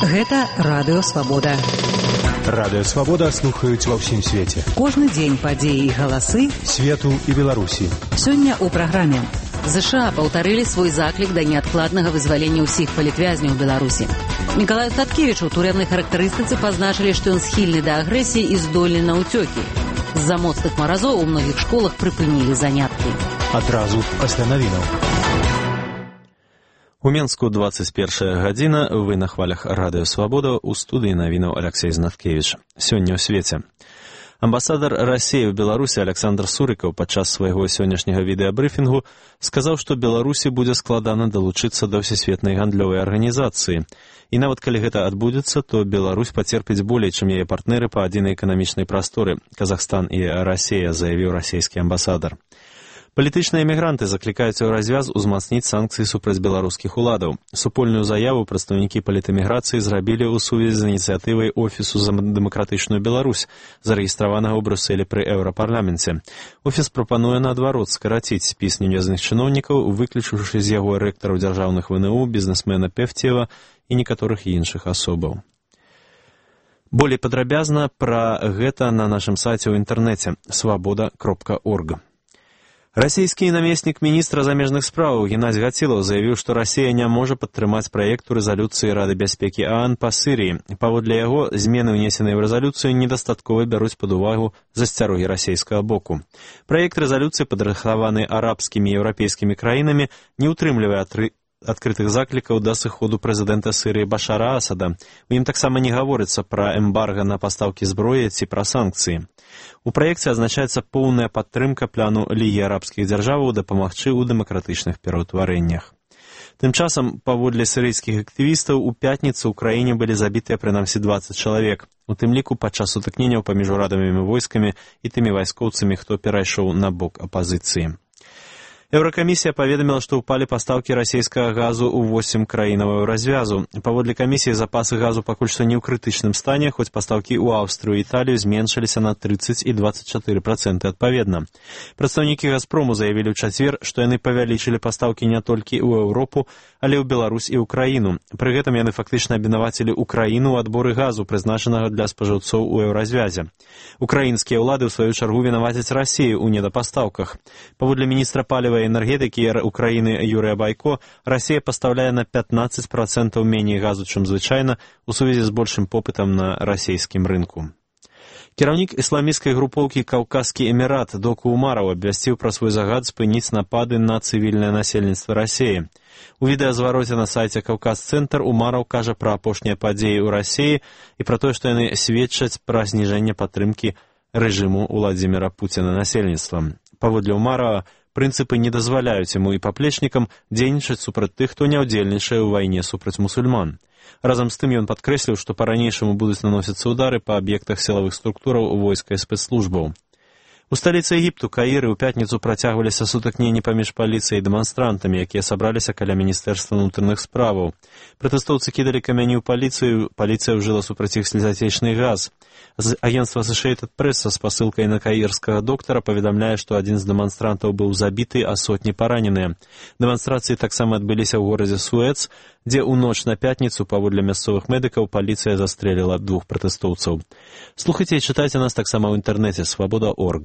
Гэта Радыё Свабода. Радыё Свабода слухаюць ва ўсім свеце. Кожны дзень падзеі і галасы свету і Беларусі. Сёння ў праграме. ЗША паўтарылі свой заклік да неадкладнага вызвалення ўсіх палітвязняў Беларусі. Мікалаю Статкевіч у турэмнай характарыстыцы пазначылі, што ён схільны да агрэсіі і здольны на ўцёкі. З-за моцных маразоў у многіх школах прыпынілі заняткі. Адразу пасля навінаў. У Менску 21 гадзіна, вы на хвалях Радыё Свабода, у студыі навінаў Алексей Знаткевіч. Сёння ў свеце. Амбасадар Расіі ў Беларусі Александр Сурыкаў падчас свайго сённяшняга відэабрыфінгу сказаў, што Беларусі будзе складана далучыцца да Всесветнай гандлёвай арганізацыі. І нават калі гэта адбудзецца, то Беларусь пацерпіць болей, чым яе партнеры па адзінай эканамічнай прасторы. Казахстан і Расія, заявіў расійскі амбасадар. Палітычныя эмігранты заклікаюць у развяз узмацніць санкцыі супраць беларускіх уладаў. Супольную заяву прадстаўнікі палітэміграцыі зрабілі ў сувязі з ініцыятывай Офісу за дэмакратычную Беларусь, зарэгістраванага ў Брюсселі пры Еўрапарламенце. Офіс прапануе наадварот скараціць спіс невязаных чыноўнікаў, выключыўшы з яго рэктараў дзяржаўных ВНУ, бізнесмена Певцева і некаторых іншых асобаў. Болей падрабязна пра гэта на нашым сайце ў інтэрнэце свабода.орг. Расійскі намеснік міністра замежных спраў Геннадзь Гацілаў заявіў, што Расія не можа падтрымаць праекту рэзалюцыі Рады бяспекі ААН па Сірыі. Паводле яго, змены, унесеныя ў рэзалюцыю, недастаткова бяруць пад увагу засцярогі расійскага боку. Праект рэзалюцыі, падрыхтаваны арабскімі і еўрапейскімі краінамі, не ўтрымлівае адкрытых заклікаў да сыходу прэзідэнта Сірыі Башара Асада. У ім таксама не гаворыцца пра эмбарга на пастаўкі зброі ці пра санкцыі. У праекце азначаецца поўная падтрымка плану Лігі арабскіх дзяржаваў дапамагчы ў дэмакратычных пераўтварэннях. Тым часам, паводле сірыйскіх актывістаў, у пятніцу ў краіне былі забітыя прынамсі 20 чалавек, у тым ліку падчас сутыкненняў паміж урадавымі войскамі і тымі вайскоўцамі, хто перайшоў на бок апазіцыі. Еўракамісія паведаміла, што ўпалі пастаўкі расійскага газу ў 8 краінаў развязу. Паводле камісіі, запасы газу пакуль што не ў крытычным стане, хоць пастаўкі ў Аўстрыю і Італію зменшыліся на 30 і 24% адпаведна. Прадстаўнікі Газпрому заявілі ў чацвер, што яны павялічылі пастаўкі не толькі ў Еўропу, але ў Беларусь і ўкраіну. Пры гэтым яны фактычна абвінавацілі ўкраіну ў адборы газу, прызначанага для спажыўцоў у еўразвязе. Украінскія ўлады, ў сваю чаргу, вінавацяць Расію ў недапастаўках. Паводле міністра паліва і энергетыкі Украіны Юрыя Байко, Расія пастаўляе на 15% меней газу, чым звычайна, у сувязі з большым попытам на расійскім рынку. Кіраўнік ісламісцкай групоўкі «Каўказскі эмірат» Доку Умараў абвясціў пра свой загад спыніць напады на цывільнае насельніцтва Расіі. У відэазвароце на сайце «Каўказ-цэнтр» Умараў кажа пра апошнія падзеі ў Расіі і пра тое, што яны сведчаць пра зніжэнне падтрымкі рэжыму Уладзіміра Пуціна насельніцтвам. Паводле Умарава, прынцыпы не дазваляюць яму і паплечнікам дзейнічаць супраць тых, хто не ўдзельнічае ў вайне супраць мусульман. Разам з тым ён падкрэсліў, што па-ранейшаму будуць наносіцца ўдары па аб'ектах сілавых структураў войска і спецслужбаў. У сталіцы Егіпту, Каіры, ў пятніцу працягваліся сутыкненні паміж паліцыяй і дэманстрантамі, якія сабраліся каля міністэрства ўнутраных справаў. Пратэстоўцы кідалі камяні ў паліцыю, паліцыя ўжыла супраць іх слезатечны газ. Агенцтва Associated Press са спасылкай на каірскага доктара паведамляе, што адзін з дэманстрантаў быў забіты, а сотні параненыя. Дэманстрацыі таксама адбыліся ў горадзе Суэц, дзе ў ноч на пятніцу, паводле мясцовых медыкаў, паліцыя застрэліла 2 пратэстоўцаў. Слухайце і чытайце нас таксама ў інтэрнэце свабода.орг.